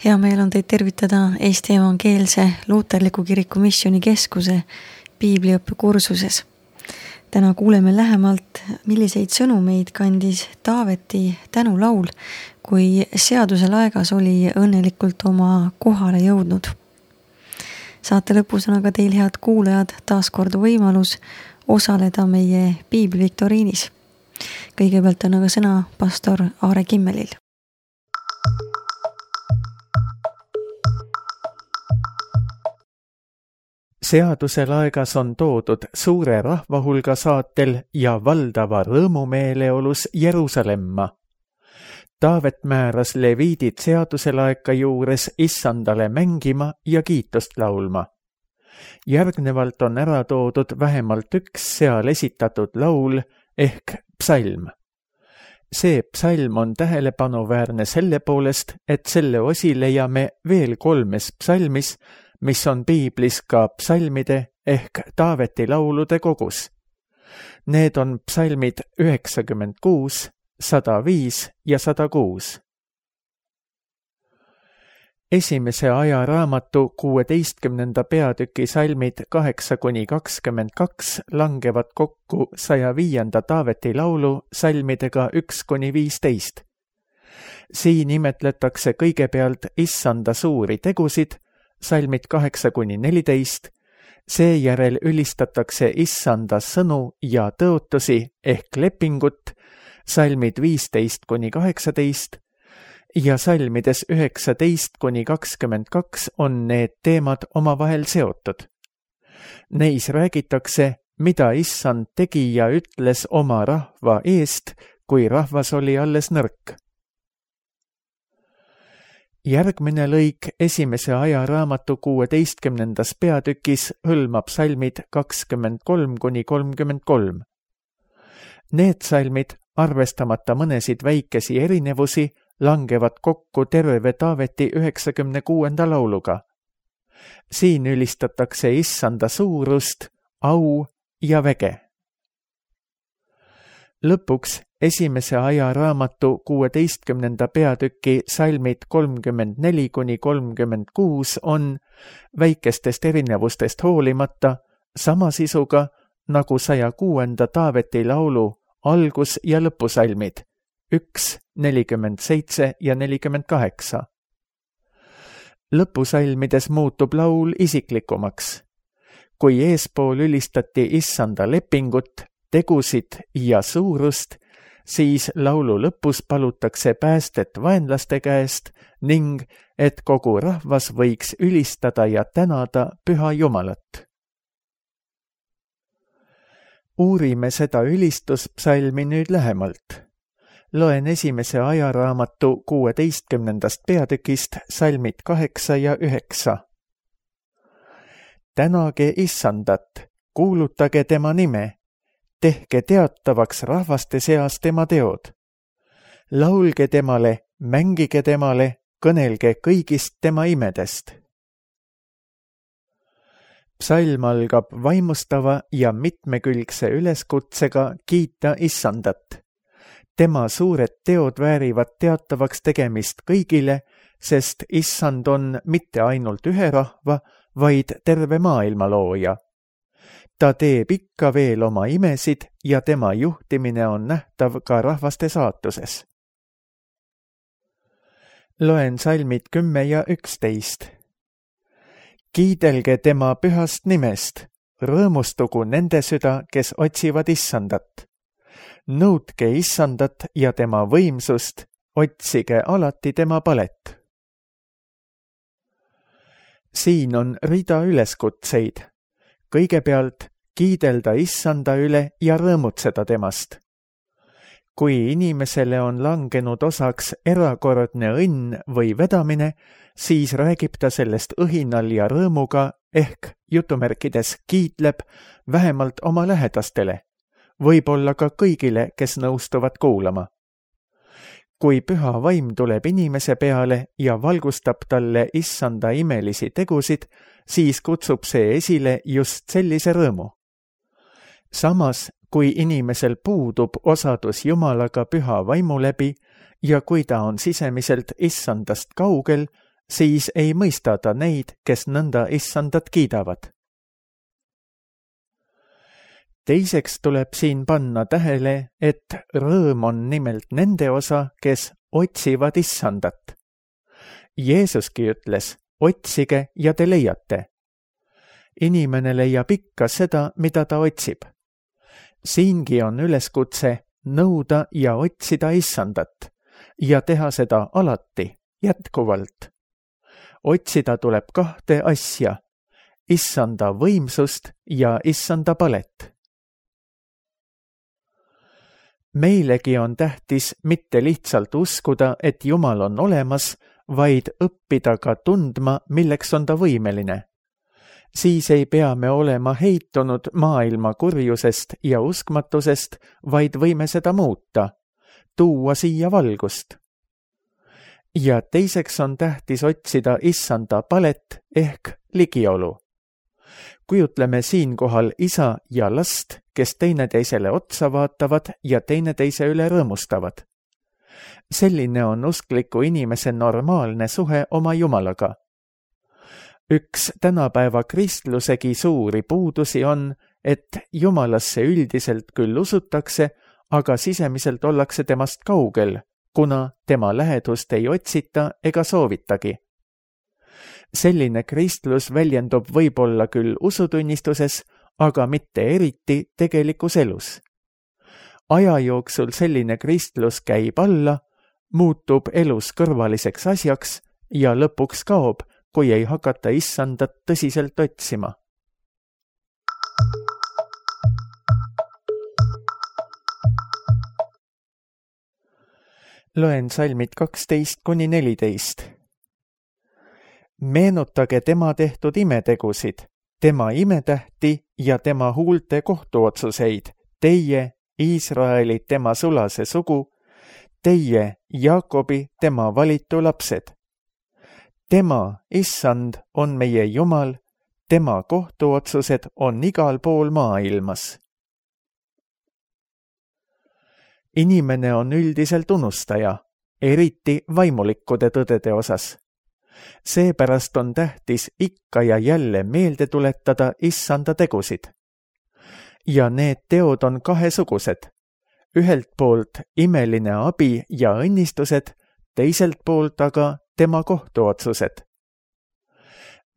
Hea meel on teid tervitada Eesti Evangeelse Luuterliku Kiriku Missioonikeskuse piibliõppe kursuses. Täna kuuleme lähemalt, milliseid sõnumeid kandis Taaveti tänulaul, kui seaduse laegas oli õnnelikult oma kohale jõudnud. Saate lõpus on aga teil, head kuulajad, taaskord võimalus osaleda meie piibliviktoriinis. Kõigepealt on aga sõna pastor Aare Kimmelil. Seaduse laegas on toodud suure rahvahulga saatel ja valdava rõõmumeeleolus Jeruusalemma. Taavet määras leviidid seaduse laeka juures issandale mängima ja kiitust laulma. Järgnevalt on ära toodud vähemalt üks seal esitatud laul ehk psalm. See psalm on tähelepanuväärne selle poolest, et selle osi leiame veel 3 psalmis, mis on piiblis ka psalmide ehk Taaveti laulude kogus. Need on psalmid 96, 105 ja 106. Esimese ajaraamatu 16. peatüki salmid 8-22 langevad kokku 105. Taaveti laulu salmidega 1-15. Siin imetletakse kõigepealt issanda suuri tegusid, salmid 8-14, seejärel ülistatakse issanda sõnu ja tõotusi ehk lepingut, salmid 15-18 ja salmides 19-22 on need teemad omavahel seotud. Neis räägitakse, mida issand tegi ja ütles oma rahva eest, kui rahvas oli alles nõrk. Järgmine lõik esimese ajaraamatu 16. peatükis hõlmab salmid 23-33. Need salmid, arvestamata mõnesid väikesi erinevusi, langevad kokku terve Taaveti 96. lauluga. Siin ülistatakse issanda suurust, au ja väge. Lõpuks esimese ajaraamatu 16. peatüki salmid 34-36 on väikestest erinevustest hoolimata sama sisuga nagu 106. Taaveti laulu algus- ja lõpusalmid 1, 47 ja 48. Lõpusalmides muutub laul isiklikumaks. Kui eespool ülistati issanda lepingut, tegusid ja suurust, siis laulu lõpus palutakse päästet vaenlaste käest ning et kogu rahvas võiks ülistada ja tänada Püha Jumalat. Uurime seda ülistuspsalmi nüüd lähemalt. Loen esimese ajaraamatu 16. peatükist salmid 8 ja 9. Tänage issandat, kuulutage tema nime, tehke teatavaks rahvaste seas tema teod. Laulge temale, mängige temale, kõnelge kõigist tema imedest. Psalm algab vaimustava ja mitmekülgse üleskutsega kiita issandat. Tema suured teod väärivad teatavaks tegemist kõigile, sest issand on mitte ainult ühe rahva, vaid terve maailma looja. Ta teeb ikka veel oma imesid ja tema juhtimine on nähtav ka rahvaste saatuses. Loen salmid 10 ja 11. Kiidelge tema pühast nimest, rõõmustugu nende süda, kes otsivad issandat. Nõudke issandat ja tema võimsust, otsige alati tema palet. Siin on rida üleskutseid. Kõigepealt kiidelda issanda üle ja rõõmutseda temast. Kui inimesele on langenud osaks erakordne õnn või vedamine, siis räägib ta sellest õhinal ja rõõmuga ehk jutumärkides kiitleb vähemalt oma lähedastele, võib-olla ka kõigile, kes nõustuvad kuulama. Kui püha vaim tuleb inimese peale ja valgustab talle issanda imelisi tegusid, siis kutsub see esile just sellise rõõmu. Samas, kui inimesel puudub osadus Jumalaga püha vaimu läbi ja kui ta on sisemiselt issandast kaugel, siis ei mõista ta neid, kes nõnda issandat kiidavad. Teiseks tuleb siin panna tähele, et rõõm on nimelt nende osa, kes otsivad issandat. Jeesuski ütles, otsige ja te leiate. Inimene leiab ikka seda, mida ta otsib. Siingi on üleskutse nõuda ja otsida issandat ja teha seda alati, jätkuvalt. Otsida tuleb kahte asja, issanda võimsust ja issanda palet. Meilegi on tähtis mitte lihtsalt uskuda, et Jumal on olemas, vaid õppida ka tundma, milleks on ta võimeline. Siis ei pea me olema heitunud maailma kurjusest ja uskmatusest, vaid võime seda muuta, tuua siia valgust. Ja teiseks on tähtis otsida issanda palet ehk ligiolu. Kujutleme siinkohal isa ja last, kes teineteisele otsa vaatavad ja teineteise üle rõõmustavad. Selline on uskliku inimese normaalne suhe oma Jumalaga. Üks tänapäeva kristlusegi suuri puudusi on, et Jumalasse üldiselt küll usutakse, aga sisemiselt ollakse temast kaugel, kuna tema lähedust ei otsita ega soovitagi. Selline kristlus väljendub võib-olla küll usutunnistuses, aga mitte eriti tegelikus elus. Aja jooksul selline kristlus käib alla, muutub elus kõrvaliseks asjaks ja lõpuks kaob, kui ei hakata issandat tõsiselt otsima. Loen salmid 12-14. Meenutage tema tehtud imetegusid, tema imetähti ja tema huulte kohtuotsuseid, teie, Iisraeli, tema sulase sugu, teie, Jaakobi, tema valitu lapsed. Tema, issand, on meie Jumal, tema kohtuotsused on igal pool maailmas. Inimene on üldiselt unustaja, eriti vaimulikkude tõdede osas. Seepärast on tähtis ikka ja jälle meelde tuletada issanda tegusid. Ja need teod on kahesugused. Ühelt poolt imeline abi ja õnnistused, teiselt poolt aga tema kohtuotsused.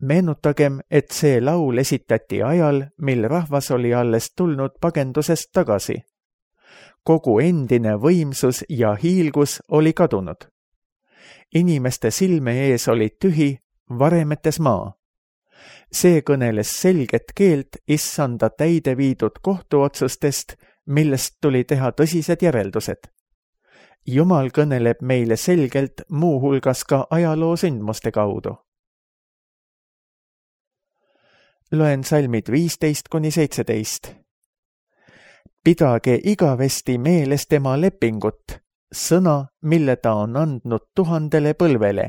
Meenutagem, et see laul esitati ajal, mil rahvas oli alles tulnud pagendusest tagasi. Kogu endine võimsus ja hiilgus oli kadunud. Inimeste silme ees oli tühi, varemetes maa. See kõneles selget keelt issanda täide viidud kohtuotsustest, millest tuli teha tõsised järeldused. Jumal kõneleb meile selgelt muu hulgas ka ajaloo sündmuste kaudu. Loen salmid 15-17. Pidage igavesti meeles tema lepingut, sõna, mille ta on andnud 1000 põlvele,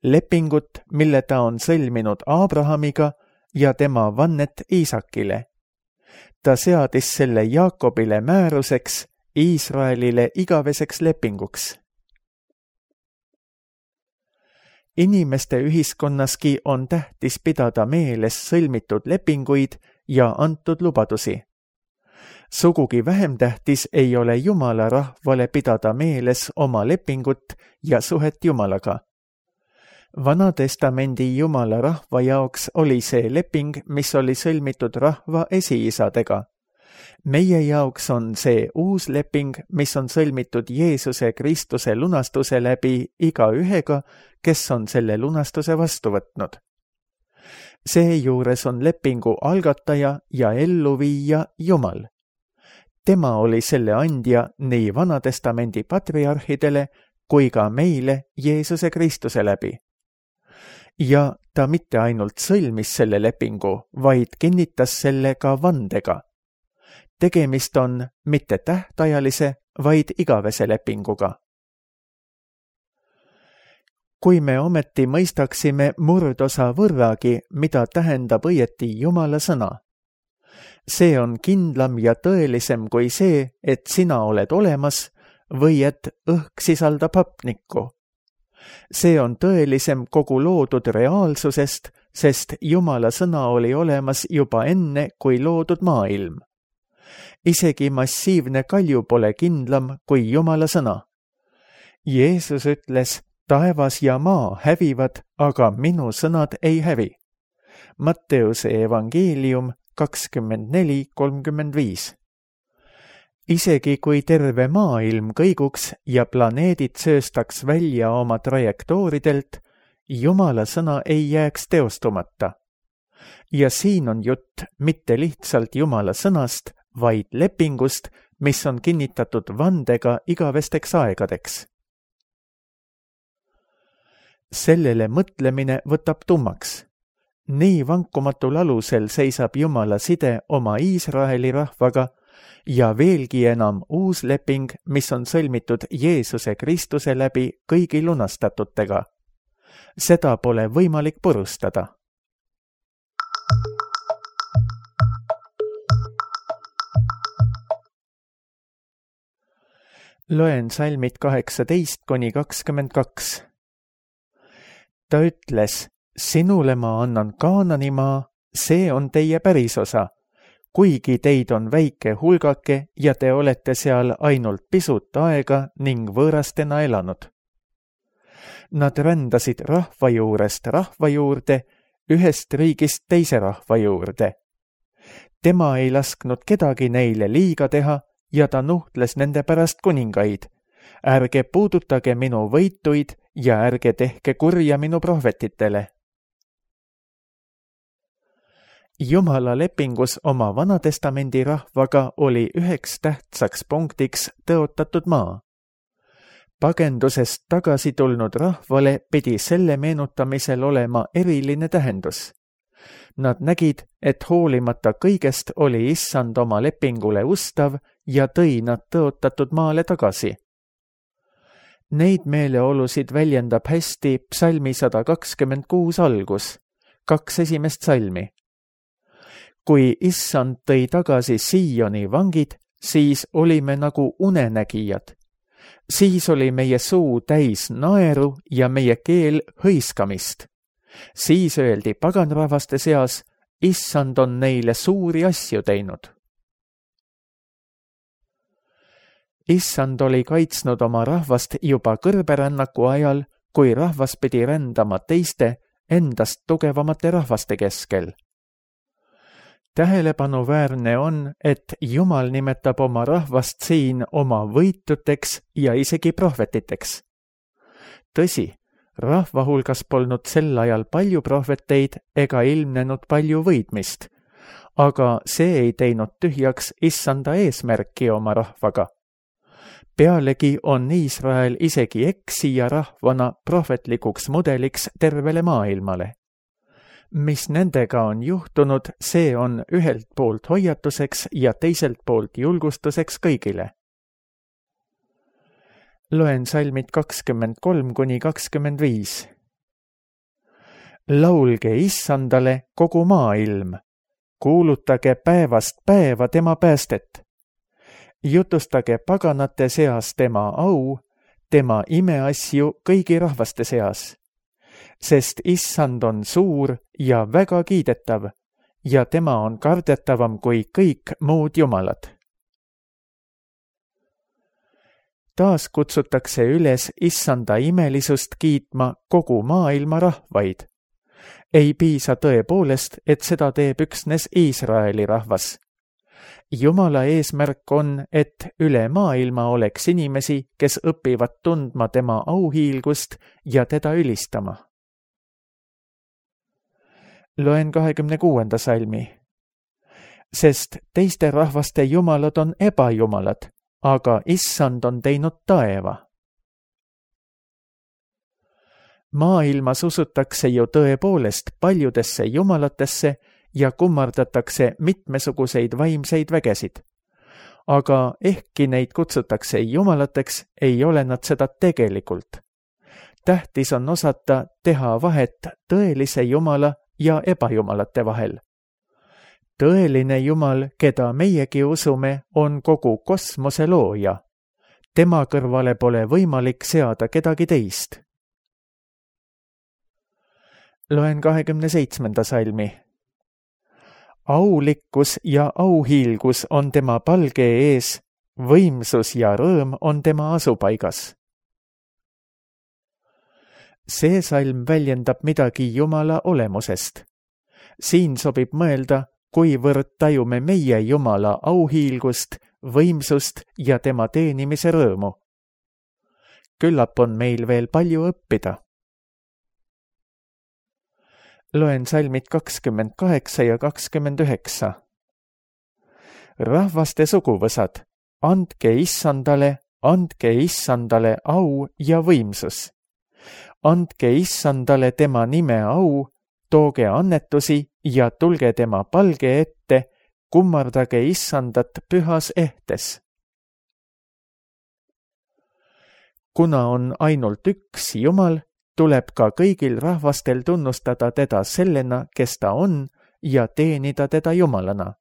lepingut, mille ta on sõlminud Abrahamiga ja tema vannet Iisakile. Ta seadis selle Jaakobile määruseks, Iisraelile igaveseks lepinguks. Inimeste ühiskonnaski on tähtis pidada meeles sõlmitud lepinguid ja antud lubadusi. Sugugi vähem tähtis ei ole Jumala rahvale pidada meeles oma lepingut ja suhet Jumalaga. Vanatestamendi Jumala rahva jaoks oli see leping, mis oli sõlmitud rahva esiisadega. Meie jaoks on see uus leping, mis on sõlmitud Jeesuse Kristuse lunastuse läbi igaühega, kes on selle lunastuse vastu võtnud. Seejuures on lepingu algataja ja elluviija Jumal. Tema oli selle andja nii Vanatestamendi patriarhidele kui ka meile Jeesuse Kristuse läbi. Ja ta mitte ainult sõlmis selle lepingu, vaid kinnitas selle ka vandega. Tegemist on mitte tähtajalise, vaid igavese lepinguga. Kui me ometi mõistaksime murdosa võrragi, mida tähendab õieti Jumala sõna. See on kindlam ja tõelisem kui see, et sina oled olemas või et õhk sisaldab hapnikku. See on tõelisem kogu loodud reaalsusest, sest Jumala sõna oli olemas juba enne, kui loodud maailm. Isegi massiivne kalju pole kindlam kui Jumala sõna. Jeesus ütles, taevas ja maa hävivad, aga minu sõnad ei hävi. Matteuse evangeelium 24:35. Isegi kui terve maailm kõiguks ja planeedid sööstaks välja oma trajektooridelt, Jumala sõna ei jääks teostumata. Ja siin on jutt mitte lihtsalt Jumala sõnast, vaid lepingust, mis on kinnitatud vandega igavesteks aegadeks. Sellele mõtlemine võtab tummaks. Nii vankumatul alusel seisab Jumala side oma Iisraeli rahvaga ja veelgi enam uus leping, mis on sõlmitud Jeesuse Kristuse läbi kõigi lunastatutega. Seda pole võimalik purustada. Loen salmid 18-22. Ta ütles, sinule ma annan Kaananimaa, see on teie pärisosa, kuigi teid on väike hulgake ja te olete seal ainult pisut aega ning võõrastena elanud. Nad rändasid rahva juurest rahva juurde, ühest riigist teise rahva juurde. Tema ei lasknud kedagi neile liiga teha ja ta nuhtles nende pärast kuningaid. Ärge puudutage minu võituid ja ärge tehke kurja minu prohvetitele. Jumala lepingus oma Vanatestamendi rahvaga oli üheks tähtsaks punktiks tõotatud maa. Pagendusest tagasi tulnud rahvale pidi selle meenutamisel olema eriline tähendus. Nad nägid, et hoolimata kõigest oli Issand oma lepingule ustav ja tõi nad tõotatud maale tagasi. Neid meeleolusid väljendab hästi psalmi 126 algus, 2 esimest salmi. Kui Issand tõi tagasi Sioni vangid, siis olime nagu unenägijad. Siis oli meie suu täis naeru ja meie keel hõiskamist. Siis öeldi paganrahvaste seas, Issand on neile suuri asju teinud. Issand oli kaitsnud oma rahvast juba kõrberännaku ajal, kui rahvas pidi rändama teiste, endast tugevamate rahvaste keskel. Tähelepanuväärne on, et Jumal nimetab oma rahvast siin oma võituteks ja isegi prohvetiteks. Tõsi, rahva hulgas polnud sel ajal palju prohveteid ega ilmnenud palju võitmist, aga see ei teinud tühjaks Issanda eesmärki oma rahvaga. Pealegi on Iisrael isegi eksija rahvana prohvetlikuks mudeliks tervele maailmale. Mis nendega on juhtunud, see on ühelt poolt hoiatuseks ja teiselt poolt julgustuseks kõigile. Loen salmid 23-25. Laulge Issandale kogu maailm, kuulutage päevast päeva tema päästet. Jutustage paganate seas tema au, tema imeasju kõigi rahvaste seas. Sest Issand on suur ja väga kiidetav ja tema on kardetavam kui kõik muud jumalad. Taas kutsutakse üles Issanda imelisust kiitma kogu maailma rahvaid. Ei piisa tõepoolest, et seda teeb üksnes Iisraeli rahvas. Jumala eesmärk on, et üle maailma oleks inimesi, kes õpivad tundma tema auhiilgust ja teda ülistama. Loen 26. salmi. Sest teiste rahvaste jumalad on ebajumalad, aga Issand on teinud taeva. Maailmas usutakse ju tõepoolest paljudesse jumalatesse ja kummardatakse mitmesuguseid vaimseid vägesid. Aga ehkki neid kutsutakse jumalateks, ei ole nad seda tegelikult. Tähtis on osata teha vahet tõelise jumala ja ebajumalate vahel. Tõeline Jumal, keda meiegi usume, on kogu kosmose looja. Tema kõrvale pole võimalik seada kedagi teist. Loen 27. salmi. Aulikkus ja auhiilgus on tema palge ees, võimsus ja rõõm on tema asupaigas. See salm väljendab midagi Jumala olemusest. Siin sobib mõelda, kuivõrd tajume meie Jumala auhiilgust, võimsust ja tema teenimise rõõmu. Küllap on meil veel palju õppida. Loen salmid 28 ja 29. Rahvaste suguvõsad, andke Issandale au ja võimsus. Andke Issandale tema nime au, tooge annetusi ja tulge tema palge ette, kummardage Issandat pühas ehtes. Kuna on ainult üks Jumal, tuleb ka kõigil rahvastel tunnustada teda sellena, kes ta on, ja teenida teda Jumalana.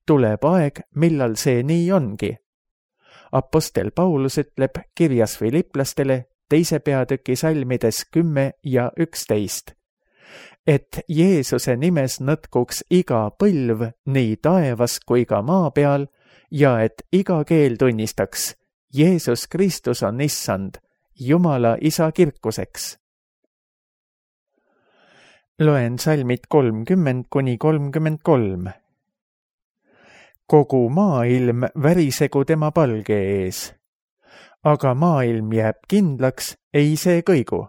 Tuleb aeg, millal see nii ongi. Apostel Paulus ütleb kirjas Filiplastele 2. peatüki salmides 10 ja 11, et Jeesuse nimes nõtkuks iga põlv nii taevas kui ka maa peal ja et iga keel tunnistaks, Jeesus Kristus on Issand, Jumala Isa kirkuseks. Loen salmid 30–33. Kogu maailm värisegu tema palge ees, aga maailm jääb kindlaks, ei see kõigu.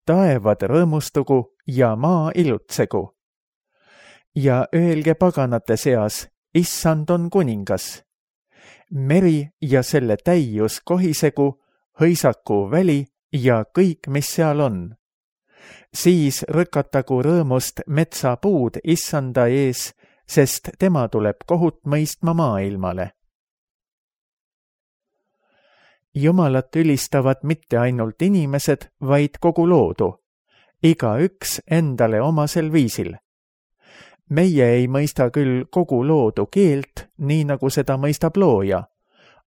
Taevad rõõmustugu ja maa ilutsegu. Ja öelge paganate seas, Issand on kuningas. Meri ja selle täius kohisegu, hõisaku väli ja kõik, mis seal on. Siis rõkatagu rõõmust metsapuud Issanda ees, sest tema tuleb kohut mõistma maailmale. Jumalat ülistavad mitte ainult inimesed, vaid kogu loodu, igaüks endale omasel viisil. Meie ei mõista küll kogu loodu keelt, nii nagu seda mõistab looja,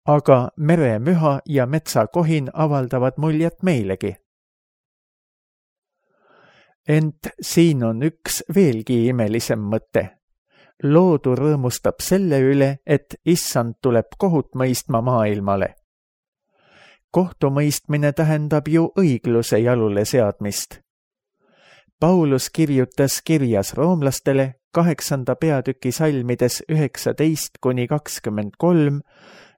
aga meremüha ja metsakohin avaldavad muljet meilegi. Ent siin on üks veelgi imelisem mõte. Loodu rõõmustab selle üle, et Issand tuleb kohut mõistma maailmale. Kohtumõistmine tähendab ju õigluse jalule seadmist. Paulus kirjutas kirjas roomlastele 8. peatüki salmides 19–23,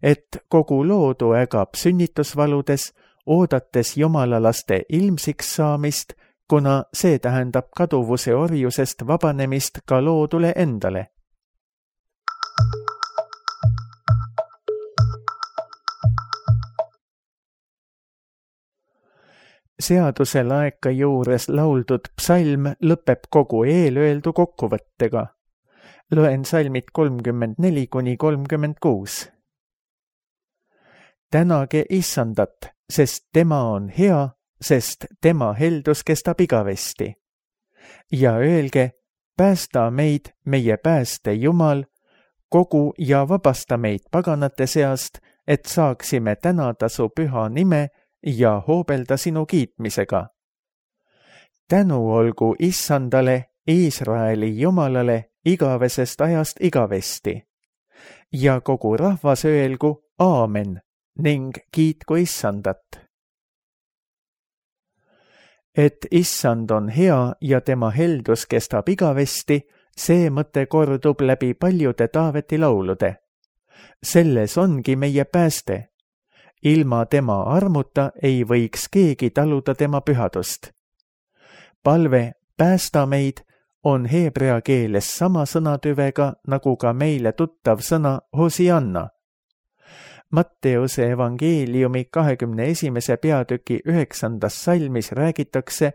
et kogu loodu ägab sünnitusvaludes, oodates jumalalaste ilmsiks saamist, kuna see tähendab kaduvuse orjusest vabanemist ka loodule endale. Seaduse laeka juures lauldud psalm lõpeb kogu eelöeldu kokkuvõttega. Loen salmid 34–36. Tänage Issandat, sest tema on hea, sest tema heldus kestab igavesti. Ja öelge, päästa meid, meie pääste Jumal, kogu ja vabasta meid paganate seast, et saaksime tänada su püha nime ja hoobelda sinu kiitmisega. Tänu olgu Issandale, Iisraeli Jumalale, igavesest ajast igavesti. Ja kogu rahvas öelgu aamen ning kiitku Issandat. Et Issand on hea ja tema heldus kestab igavesti, see mõte kordub läbi paljude Taaveti laulude. Selles ongi meie pääste. Ilma tema armuta ei võiks keegi taluda tema pühadust. Palve päästa meid on heebrea keeles sama sõnatüvega nagu ka meile tuttav sõna Hosianna. Matteuse evangeeliumi 21. peatüki 9. salmis räägitakse,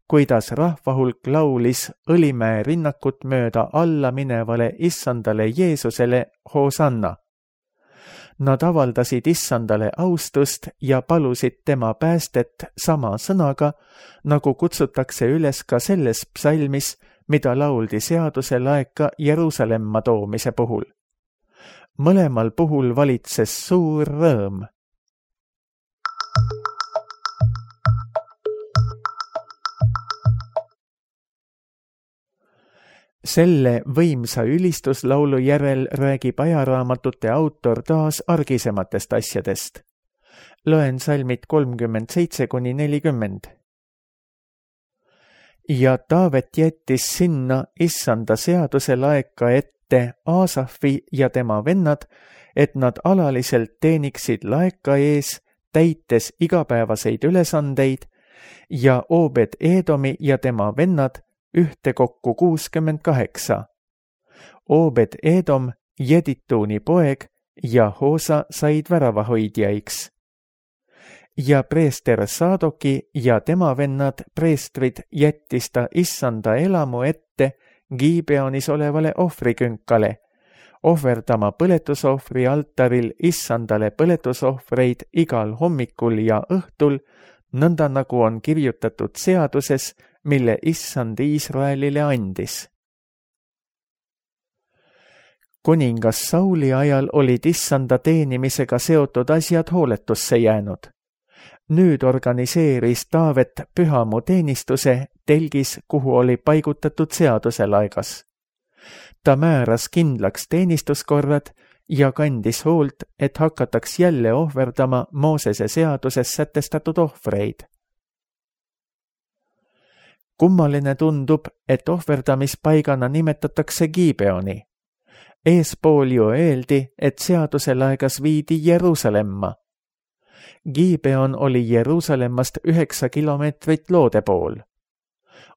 kuidas rahvahulk laulis Õlimäe rinnakut mööda alla minevale Issandale Jeesusele Hosanna. Nad avaldasid Issandale austust ja palusid tema päästet sama sõnaga, nagu kutsutakse üles ka selles psalmis, mida lauldi seaduse laeka Jeruusalemma toomise puhul. Mõlemal puhul valitses suur rõõm. Selle võimsa ülistuslaulu järel räägib ajaraamatute autor taas argisematest asjadest. Loen salmid 37–40. Ja Taavet jättis sinna Issanda seaduse laeka ette Aasafi ja tema vennad, et nad alaliselt teeniksid laeka ees, täites igapäevaseid ülesandeid, ja Obed Edomi ja tema vennad ühtekokku 68. Obed Edom, Jedituuni poeg, ja Hoosa said väravahoidjaiks. Ja preester Saadoki ja tema vennad preestrid jättis ta Issanda elamu ette Gibeonis olevale ohvrikünkale, ohverdama põletusohvri altaril Issandale põletusohvreid igal hommikul ja õhtul, nõnda nagu on kirjutatud seaduses, mille Issand Iisraelile andis. Kuningas Sauli ajal olid Issanda teenimisega seotud asjad hooletusse jäänud. Nüüd organiseeris Taavet pühamu teenistuse telgis, kuhu oli paigutatud seaduselaegas. Ta määras kindlaks teenistuskorrad ja kandis hoolt, et hakataks jälle ohverdama Moosese seaduses sätestatud ohvreid. Kummaline tundub, et ohverdamispaigana nimetatakse Gibeoni. Eespool ju öeldi, et seaduselaegas viidi Jeruusalemma. Gibeon oli Jeruusalemmast 9 kilomeetrit loode pool.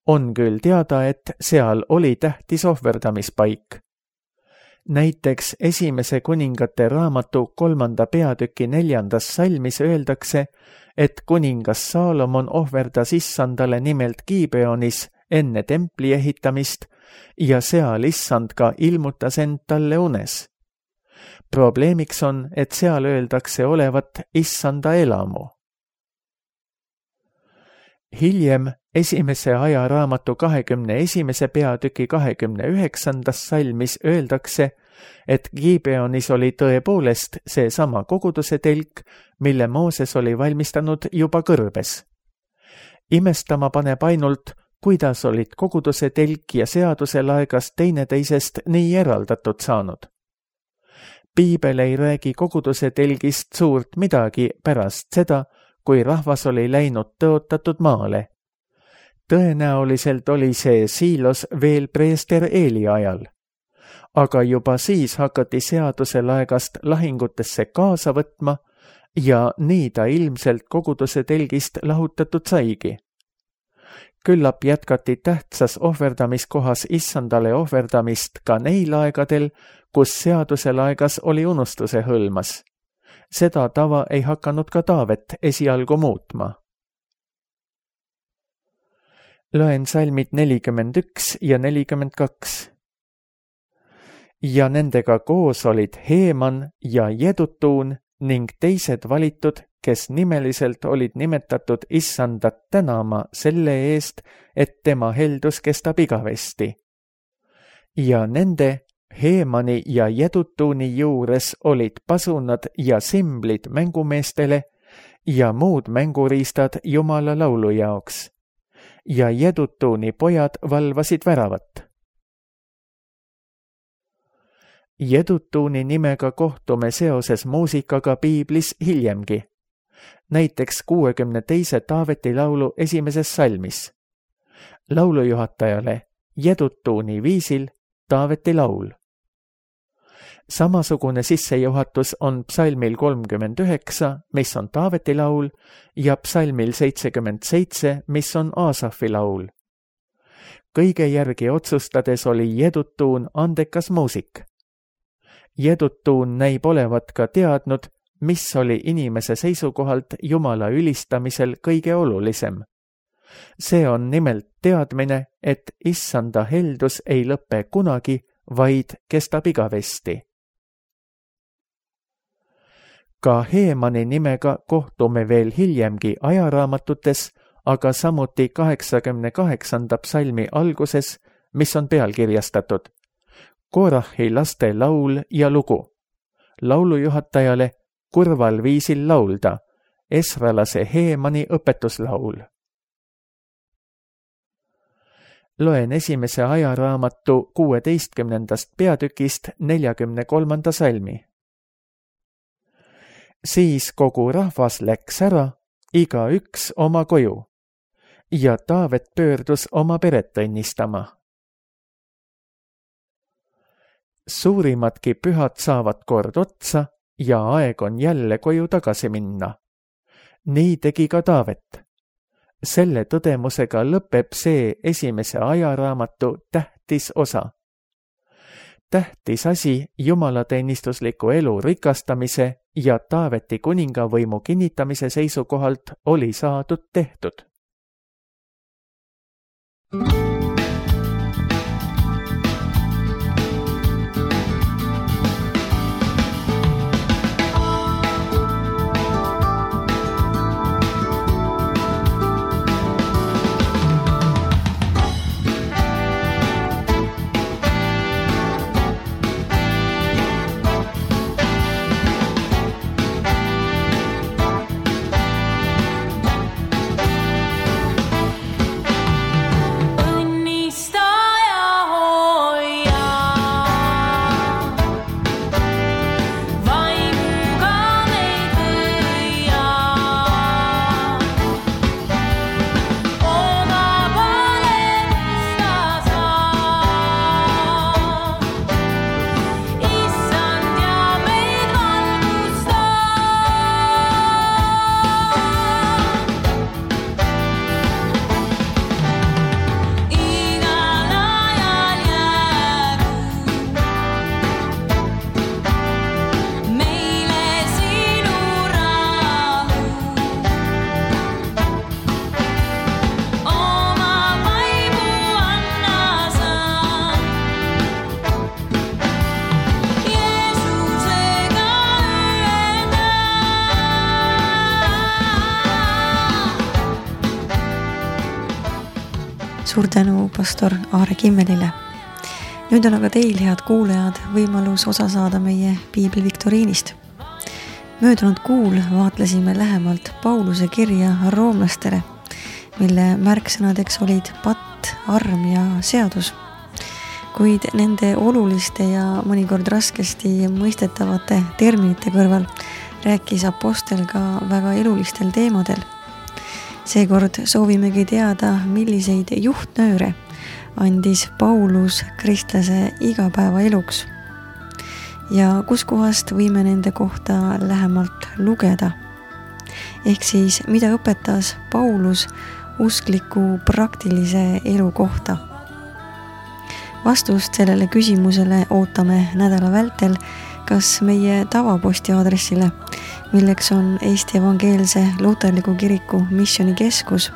On küll teada, et seal oli tähtis ohverdamispaik. Näiteks esimese kuningate raamatu 3. peatüki 4. salmis öeldakse, et kuningas Saalomon ohverdas Issandale nimelt Gibeonis enne templi ehitamist ja seal Issand ka ilmutas end talle unes. Probleemiks on, et seal öeldakse olevat Issanda elamu. Hiljem esimese ajaraamatu 21. peatüki 29. salmis öeldakse, et Gibeonis oli tõepoolest seesama koguduse telk, mille Mooses oli valmistanud juba kõrbes. Imestama paneb ainult, kuidas olid koguduse telk ja seaduselaegas teineteisest nii eraldatud saanud. Piibel ei räägi koguduse telgist suurt midagi pärast seda, kui rahvas oli läinud tõotatud maale. Tõenäoliselt oli see Siilos veel preester Eeli ajal. Aga juba siis hakati seaduselaegast lahingutesse kaasa võtma ja nii ta ilmselt koguduse telgist lahutatud saigi. Küllap jätkati tähtsas ohverdamiskohas Issandale ohverdamist ka neil aegadel, kus seaduselaegas oli unustuse hõlmas. Seda tava ei hakanud ka Taavet esialgu muutma. Loen salmid 41 ja 42. Ja nendega koos olid Heeman ja Jedutuun ning teised valitud, kes nimeliselt olid nimetatud Issandat tänama selle eest, et tema heldus kestab igavesti. Ja nende Heemani ja Jedutuuni juures olid pasunad ja simblid mängumeestele ja muud mänguriistad Jumala laulu jaoks. Ja Jedutuuni pojad valvasid väravat. Jedutuuni nimega kohtume seoses muusikaga piiblis hiljemgi. Näiteks 62. Taaveti laulu 1. salmis. Laulujuhatajale Jedutuuni viisil Taaveti laul. Samasugune sissejuhatus on psalmil 39, mis on Taaveti laul, ja psalmil 77, mis on Aasafi laul. Kõige järgi otsustades oli Jedutuun andekas muusik. Jedutuun näib olevat ka teadnud, mis oli inimese seisukohalt Jumala ülistamisel kõige olulisem. See on nimelt teadmine, et Issanda heldus ei lõpe kunagi, vaid kestab igavesti. Ka Heemani nimega kohtume veel hiljemgi ajaraamatutes, aga samuti 88. psalmi alguses, mis on pealkirjastatud Korahi laste laul ja lugu. Laulujuhatajale kurval viisil laulda, esralase Heemani õpetuslaul. loen esimese ajaraamatu 16. peatükist 43. salmi. Siis kogu rahvas läks ära, igaüks oma koju, ja Taavet pöördus oma peret õnnistama. Suurimadki pühad saavad kord otsa ja aeg on jälle koju tagasi minna. Nii tegi ka Taavet. Selle tõdemusega lõpeb see esimese ajaraamatu tähtis osa. Tähtis asi jumalateenistusliku elu rikastamise ja Taaveti kuningavõimu kinnitamise seisukohalt oli saadud tehtud. Suur tänu pastor Aare Kimmelile. Nüüd on aga teil, head kuulajad, võimalus osa saada meie piibli viktoriinist. Möödunud kuul vaatlesime lähemalt Pauluse kirja roomlastele, mille märksõnadeks olid patt, arm ja seadus. Kuid nende oluliste ja mõnikord raskesti mõistetavate terminite kõrval rääkis apostel ka väga elulistel teemadel. Seekord soovimegi teada, milliseid juhtnööre andis Paulus kristlase igapäevaeluks ja kuskohast võime nende kohta lähemalt lugeda. Ehk siis, mida õpetas Paulus uskliku praktilise elu kohta. Vastust sellele küsimusele ootame nädala vältel kas meie tavaposti aadressile, milleks on Eesti Evangeelse Luterliku Kiriku Missioonikeskus,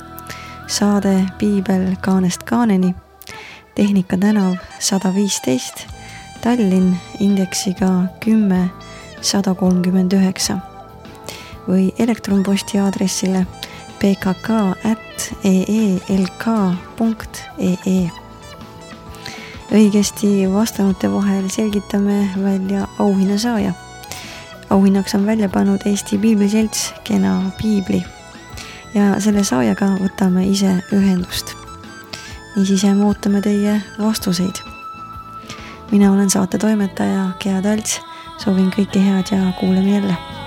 saade Piibel kaanest kaaneni, Tehnika tänav 115, Tallinn indeksiga 10139 või elektronposti aadressile pkk@eelk.ee. Õigesti vastanute vahel selgitame välja auhinnasaaja. Auhinnaks on välja pannud Eesti Piibliselts Kena piibli ja selle saajaga võtame ise ühendust. Niisiis jääme ootame teie vastuseid. Mina olen saate toimetaja Gea Talts, soovin kõike head ja kuuleme jälle.